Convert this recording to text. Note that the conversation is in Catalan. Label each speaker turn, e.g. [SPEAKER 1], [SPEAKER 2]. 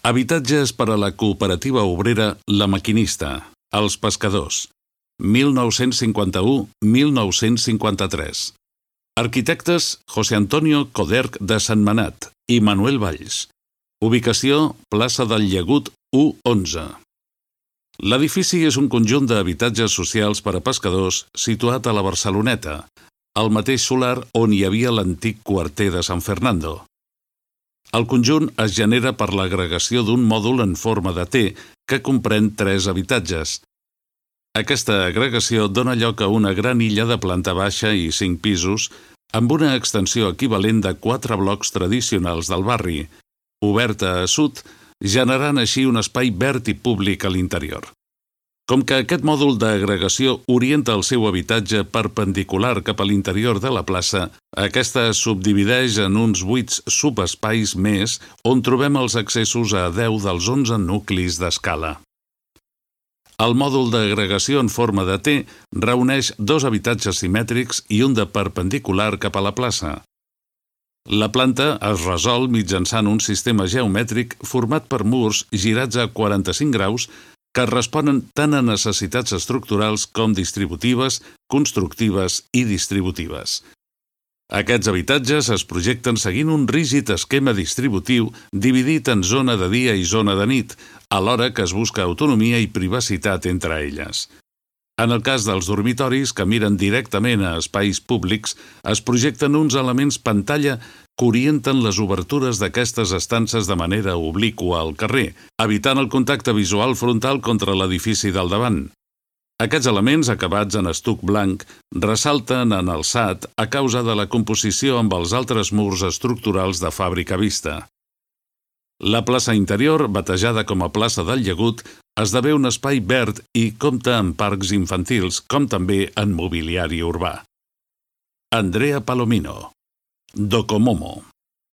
[SPEAKER 1] Habitatges per a la cooperativa obrera La Maquinista, Els Pescadors, 1951-1953. Arquitectes José Antonio Coderch de Sentmenat i Manuel Valls. Ubicació plaça del Llagut 111. L'edifici és un conjunt d'habitatges socials per a pescadors situat a la Barceloneta, al mateix solar on hi havia l'antic quarter de San Fernando. El conjunt es genera per l'agregació d'un mòdul en forma de T que comprèn 3 habitatges. Aquesta agregació dona lloc a una gran illa de planta baixa i 5 pisos amb una extensió equivalent de 4 blocs tradicionals del barri, oberta a sud, generant així un espai verd i públic a l'interior. Com que aquest mòdul d'agregació orienta el seu habitatge perpendicular cap a l'interior de la plaça, aquesta es subdivideix en uns 8 subespais més on trobem els accessos a 10 dels 11 nuclis d'escala. El mòdul d'agregació en forma de T reuneix 2 habitatges simètrics i un de perpendicular cap a la plaça. La planta es resol mitjançant un sistema geomètric format per murs girats a 45 graus que responen tant a necessitats estructurals com distributives, constructives i distributives. Aquests habitatges es projecten seguint un rígid esquema distributiu dividit en zona de dia i zona de nit, alhora que es busca autonomia i privacitat entre elles. En el cas dels dormitoris, que miren directament a espais públics, es projecten uns elements pantalla que orienten les obertures d'aquestes estances de manera obliqua al carrer, evitant el contacte visual frontal contra l'edifici del davant. Aquests elements, acabats en estuc blanc, ressalten en alçat a causa de la composició amb els altres murs estructurals de fàbrica vista. La plaça interior, batejada com a plaça del Llagut, esdevé un espai verd i compta amb parcs infantils, com també en mobiliari urbà. Andrea Palomino, Docomomo.